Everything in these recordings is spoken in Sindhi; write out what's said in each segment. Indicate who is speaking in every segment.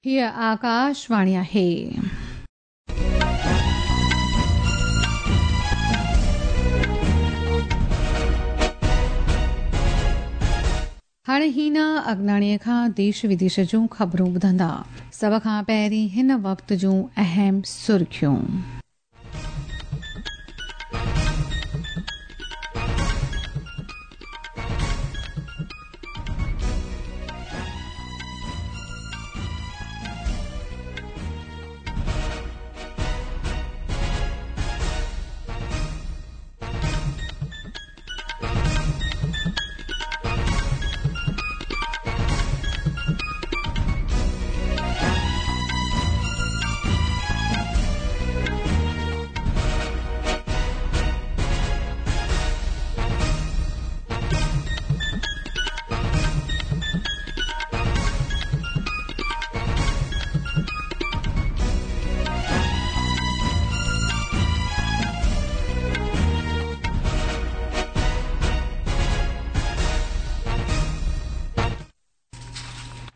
Speaker 1: هيء آڪاشواڻي آهي. هاڻي هينا اگناڻيء کان ديش وديش جون خبرون ٻڌندا. سڀ کان پهرين هن وقت جون اهم سرخيون.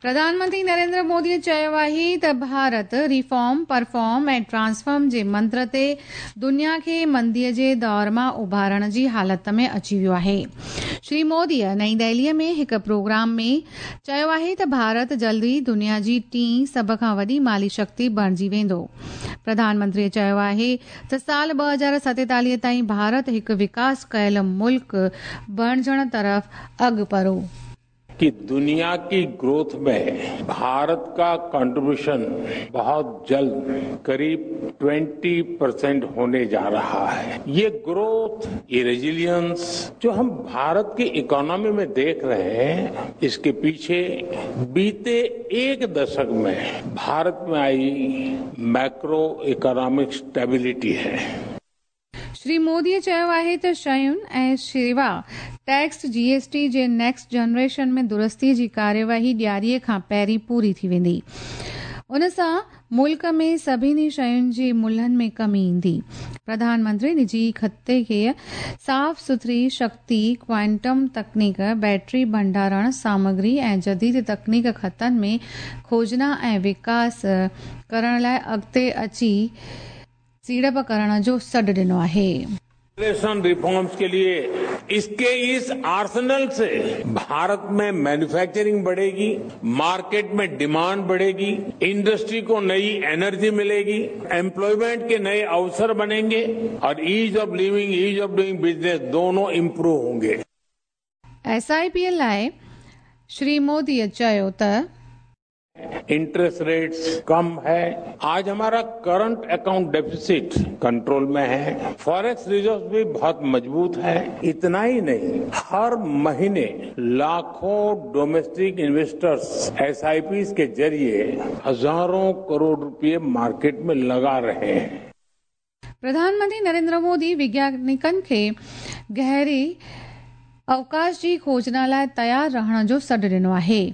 Speaker 1: پرڌان منتري نريندر مودي چيو آهي ته ڀارت ريفارم، پرفارم ۽ ٽرانسفارم جي منتر تي دنيا کي مندي جي دور مان اڀارڻ جي حالت ۾ اچي ويو آهي. شري مودي نئين دهلي ۾ هڪ پروگرام ۾ چيو آهي ته ڀارت جلد ئي دنيا جي ٽين سڀ کان وڏي مالي شڪتي بڻجي ويندو. پرڌان منتري چيو آهي ته سال 2047 تائين ڀارت هڪ وڪاس ڪيل ملڪ بڻجڻ طرف اڳڀرو.
Speaker 2: कि दुनिया की ग्रोथ में भारत का कंट्रीब्यूशन बहुत जल्द करीब 20 परसेंट होने जा रहा है। ये ग्रोथ, ये रेजिलियंस जो हम भारत की इकोनॉमी में देख रहे हैं, इसके पीछे बीते एक दशक में भारत में आई मैक्रो इकोनॉमिक स्टेबिलिटी है।
Speaker 1: श्री मोदीء चयो आहे त शयुनि ऐं शेवा टैक्स जी एस टी जे नेक्सट जनरेशन ۾ درستي جي ڪارروائي ڏياريء کان پهرين پوري ٿي ويندي. ان سان ملڪ ۾ سڀني شين جي ملهن ۾ ڪمي ايندي. پرڌان منتري نجي کاتي کي صاف سٿري شڪتي، ڪوائنٽم تڪنيڪ، بيٽري ڀنڊارڻ سامگري ۽ جديد تڪنيڪ خطن ۾ کوجنا ۽ وڪاس ڪرڻ لاء اڳتي اچي سيڙپ ڪرڻ جو سڏ ڏنو آهي.
Speaker 2: ٽيڪسيشن ريفارمز ڪي ليي اسڪي اس آرسنل سي ڀارت ۾ مينوفيڪچرنگ بڙهيگي، مارڪيٽ ۾ ڊيمانڊ بڙهيگي، انڊسٽري ڪو نئي انرجي مليگي، ايمپلائمينٽ ڪي نئي اوسر بنينگي اور ease of living, ease of doing business دونون امپروو هونگي.
Speaker 1: ايس I P لاء شري مودي چيو ته.
Speaker 2: इंटरेस्ट रेट्स कम है। आज हमारा करंट अकाउंट डेफिसिट कंट्रोल में है। फॉरेक्स रिजर्व भी बहुत मजबूत है। इतना ही नहीं, हर महीने लाखों डोमेस्टिक इन्वेस्टर्स एसआईपीज के जरिए हजारों करोड़ रुपए मार्केट में लगा रहे हैं।
Speaker 1: प्रधान मंत्री नरेंद्र मोदी वैज्ञानिकनि खे गहरे अवकाश जी खोजना लाइ तयार रहण जो सॾु ॾिनो आहे।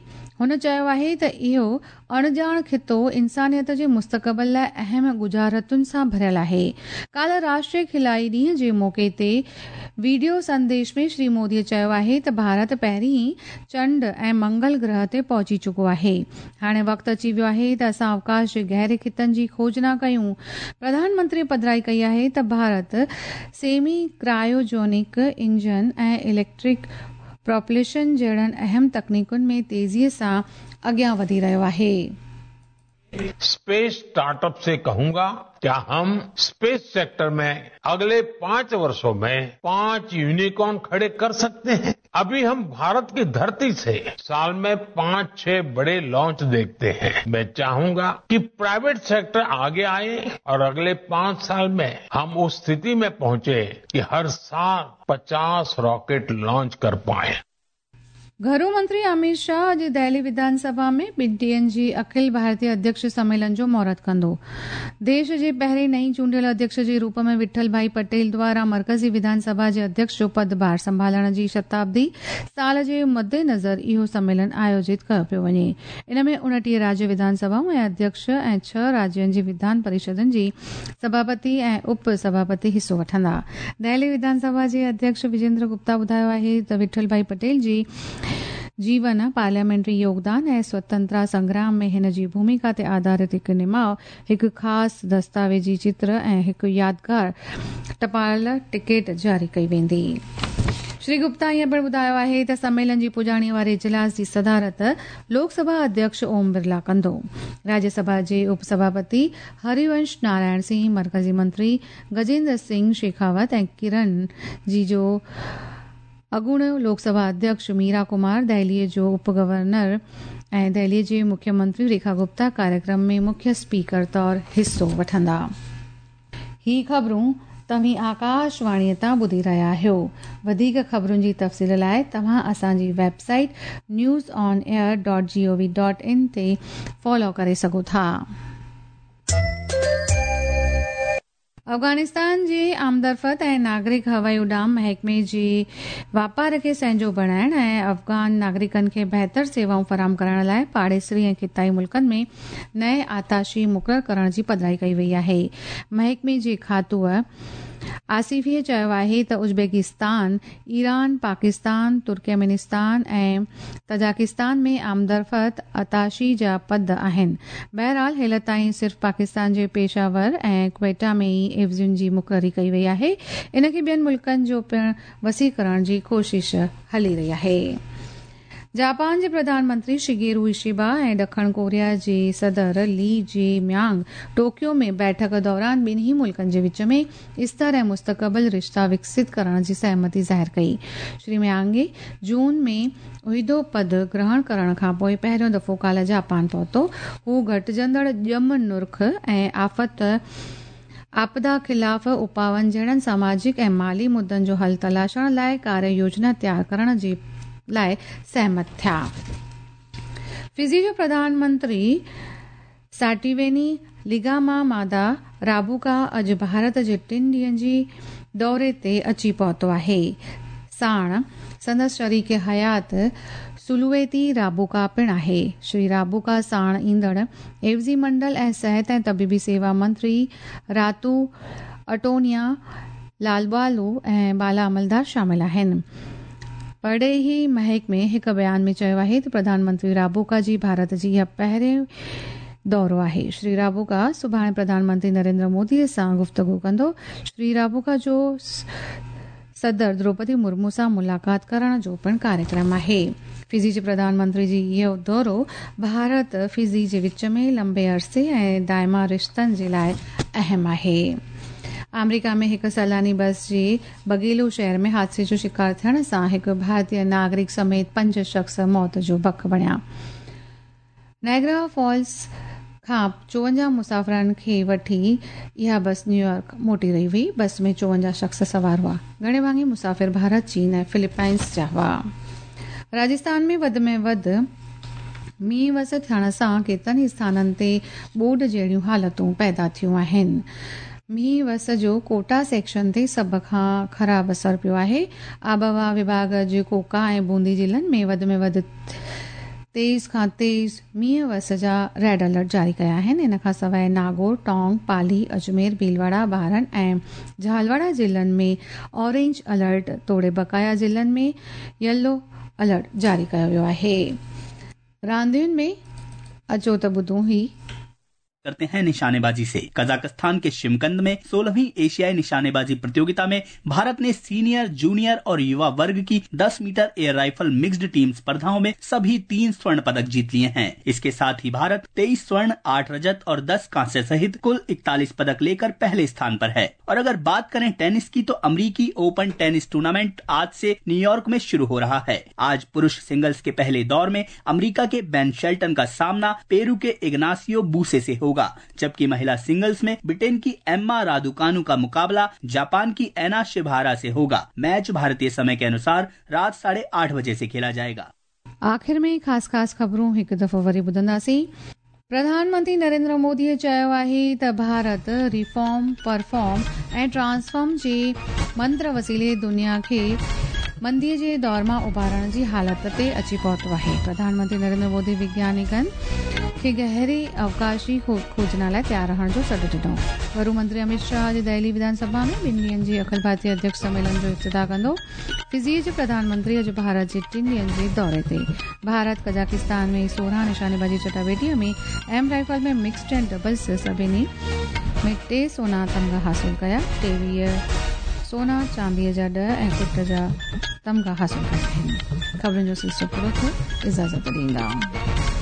Speaker 1: هن چيو آهي ته اهو اڻڄاڻ خطو انسانيت جي مستقبل لاء اهم ڳجهارتن سان ڀريل آهي. ڪالهه راشٽريه خلائي ڏينهن جي موقعي تي وڊيو سنديش ۾ شري مودي چيو آهي ته ڀارت پهرين ئي چنڊ ۽ منگل گرهه تي پهچي چڪو آهي. هاڻي وقت اچي ويو آهي ته اسان اوڪاش جي گهري خطن جي کوجنا ڪيون. پرڌان منتري پڌرائي ڪئي آهي ته Bharat semi cryogenic engine ۽ electric propulsion جهڙن اهم تڪنيڪن ۾ تيزيء سان اڳيان وڌي رهيو آهي.
Speaker 2: स्पेस स्टार्टअप से कहूंगा, क्या हम स्पेस सेक्टर में अगले 5 वर्षों में 5 यूनिकॉर्न खड़े कर सकते हैं? अभी हम भारत की धरती से साल में 5-6 बड़े लॉन्च देखते हैं। मैं चाहूंगा कि प्राइवेट सेक्टर आगे आए और अगले 5 साल में हम उस स्थिति में पहुंचे कि हर साल 50 रॉकेट लॉन्च कर पाएं।
Speaker 1: گهرو منتري اميت شاهه اڄ دهلي وڌان سڀا ۾ ٻن ڏينهن جي اکل ڀارتيه اڌيڪش سميلن جو مهورت ڪندو. ديش جي پهرين نئين چونڊيل اڌيڪش جي روپ ۾ وٺل ڀائي پٽيل دواران مرڪزي وڌان سڀا جي اڌيڪش جو پد ڀار سنڀالڻ جي شتابدي سال جي مدنظر اهو سميلن آيوجت ڪيو پيو وڃي. ان ۾ 29 راجيه وڌان سڀائون ۽ اڌيڪش ۽ 6 راجين جي وڌان پريشدن جي سڀاپتي ۽ اپ سڀاپتي حصو وٺندا. دهلي وڌان سڀا جي اڌيڪش وجيندر گپتا ٻڌايو آهي ته وٺل ڀائي پٽيل جي جيون، پارليامينٽري يوگدان ۽ سوتنترتا سنگرام ۾ هن جي ڀوميڪا تي آڌارت هڪ نماء، هڪ خاص دستاويزي چتر ۽ هڪ يادگار ٽپال ٽڪيٽ جاري ڪئي ويندي. شري گپتا ائين پڻ ٻڌايو آهي ته سميلن جي پڄاڻي واري اجلاس جي صدارت لوڪ سڀا اڌيڪش اوم برلا ڪندو. راجيه سڀا جي اپ سڀاپتي هريونش نارائڻ سنگهه، مرڪزي منتري گجيندر سنگهه شيخاوت ۽ ڪرن جي جو اڳوڻو لوڪ سڀا اڌيڪش ميرا ڪمار، دهلي جو اپ گورنر ۽ دهلي جي مکيه منتري ريکا گپتا ڪاريڪرم ۾ مکيه اسپيڪر طور حصو وٺندا. هي خبرون توهين آڪاش واڻيء تان ٻڌي رهيا آهيو. وڌيڪ خبرن جي تفصيل لاء توهان اسان جي website news on air dot G O V dot in تي فالو ڪري سگهو ٿا. افغانستان جي آمدرفت ۽ ناگرڪ هوائي اڏام محڪمي جي واپار کي سهنجو بڻائڻ ۽ افغان ناگرڪن کي بهتر سيوائون فراهم ڪرڻ لاء پاڙيسري ۽ خطائي ملڪن ۾ نئين آتاشي مقرر ڪرڻ جي پڌرائي ڪئي وئي آهي. محڪمي جي کاتوء آصفيء چيو آهي ته ازبڪستان، ايران، پاڪستان، ترڪمينستان ۽ تجاڪستان ۾ آمدرفت اتاشي جا پد آهن. بهرحال هيل تائين صرف پاڪستان جي پيشه ور ۽ ڪوئيٽا ۾ ئي عيوضين جي مقرري ڪئي وئي آهي. ان کي ٻين ملڪن جو پڻ وسيع ڪرڻ جي ڪوشش هلي رهي آهي. جاپان جي پرڌان منتري شگيرو اشيبا ۽ ڏکڻ ڪوريا جي صدر لي جي ميانگ ٽوڪيو ۾ بيٺڪ دوران ٻنهي ملڪن جي وچ ۾ استر ۽ مستقبل رشتا وڪست ڪرڻ جي سهمتي ظاهر ڪئي. شري ميانگ جون ۾ عهدو پد گرهڻ ڪرڻ کانپوء پهريون دفعو ڪالهه جاپان پهتو. هو گهٽجندڙ ڄم نرخ ۽ آفت آپدا خلاف اپائن جهڙن سماجڪ ۽ مالي مدن جو حل تلاشڻ لاء ڪاريه يوجنا تيار ڪرڻ جي لاء سهمت ٿيا. فجي جو پرڌان منتري ساٽيويني لگاما مادا رابوڪا اڄ ڀارت جي ٽن ڏينهن جي دوري تي اچي پهتو آهي. ساڻ سندس شريڪ حيات سلويتي رابوڪا پڻ آهي. شري رابوڪا ساڻ ايندڙ عيوضي منڊل ۽ صحت ۽ طبيبي سيوا منتري راتو اٽونيا لالبالو ۽ بالا عملدار شامل آهن. پرڏيهي محڪمي هڪ بيان ۾ چيو آهي ته پرڌان منتري رابوڪا جي ڀارت جي اها پهرين دورو آهي. شري رابوڪا سڀاڻي پرڌان منتري نريندر مودي سان گفتگو ڪندو. شري رابوڪا جو صدر دروپدي مرمو سان ملاقات ڪرڻ جو پڻ ڪاريڪرم آهي. فجي جي پرڌان منتري جي اهو دورو ڀارت فجي جي وچ ۾ لمبي عرصي ۽ دائما رشتن جي لاء اهم آهي. آمريڪا ۾ هڪ سيلاني بس جي بگيلو شهر ۾ حادثي جو شڪار ٿيڻ سان هڪ ڀارتي ناگرڪ سميت پنج شخص موت جو بک بڻيا. نائگرا فالز کان 54 مسافرن کي وٺي اها بس نيويارڪ موٽي رهي هئي. بس ۾ 54 شخص سوار هئا. گهڻي ڀاڱي مسافر ڀارت، چين ۽ فلپائنز جا هئا. راجسٿان ۾ وڌ ۾ وڌ مينهن وس ٿيڻ سان ڪيترن ئي اسٿانن تي ٻوڏ جهڙيون حالتون پيدا ٿيون آهن. مينهن وس جو ڪوٽا سيڪشن تي سڀ کان خراب اثر پيو آهي. آبهوا وڀاڳ اڄ ڪوڪا ۽ بوندي ضلعن ۾ وڌ ۾ وڌ تيز کان تيز مينهن وس جا ريڊ الرٽ جاري ڪيا آهن. ان کان سواء ناگور، ٽانڪ، پالي، اجمير، ڀيلواڙا، بارن ۽ جهالواڙا ضلعن ۾ اورينج الرٽ توڙي بقايا ضلعن ۾ يلو الرٽ جاري ڪيو ويو آهي. راندين ۾ اچو ته ٻڌون هي.
Speaker 3: करते हैं निशानेबाजी से। कजाकिस्तान के शिमकंद में 16वीं एशियाई निशानेबाजी प्रतियोगिता में भारत ने सीनियर, जूनियर और युवा वर्ग की 10 metre air rifle mixed team स्पर्धाओं में सभी 3 स्वर्ण पदक जीत लिए हैं। इसके साथ ही भारत 23 स्वर्ण, 8 रजत और 10 कांस्य सहित कुल 41 पदक लेकर पहले स्थान पर है। और अगर बात करें टेनिस की तो अमरीकी ओपन टेनिस टूर्नामेंट आज से न्यूयॉर्क में शुरू हो रहा है। आज पुरुष सिंगल्स के पहले दौर में अमरीका के बेन शेल्टन का सामना पेरू के इग्नासियो बूसे से होगा, जबकि महिला सिंगल्स में ब्रिटेन की एम्मा रादुकानु का मुकाबला जापान की एना शिभारा से होगा। मैच भारतीय समय के अनुसार रात 8:30 बजे से खेला जाएगा।
Speaker 1: आख़िर में ख़ासि ख़ासि ख़बरूं हिकु दफ़ो वरी ॿुधंदासीं। प्रधानमंत्री नरेंद्र मोदीअ चयो आहे त भारत रिफॉर्म, परफॉर्म ऐं ट्रांसफॉर्म जे मंत्र वसीले दुनिया खे مندي جي دور مان اڀارڻ جي حالت تي اچي پهتو آهي. پرڌان منتري نريندر مودي وگيانڪن کي گهري اوڪاش جي کوجنا لاء تيار رهڻ جو سڏ ڏنو. گهرو منتري اميت شاهه اڄ دهلي وڌان سڀا ۾ ٻن ڏينهن جي اکل ڀارتي اڌيڪش سميلن جو افتتاح ڪندو. فجي جي پرڌان منتري اڄ ڀارت جي ٽن ڏينهن جي دوري تي. ڀارت قزاقستان ۾ 16 نشانيبازي چٽاڀيٽي ۾ ايم رائفل ۾ مڪسڊ ۽ ڊبلز سڀني ۾ ٽي سونا تمغا حاصل ڪيا. 23 سونا، چانديء جا 10 ۽ ڪٽ جا تمغا حاصل ڪيا آهن. خبرن جو سلسلو پورو ٿيو. اجازت ڏيندا.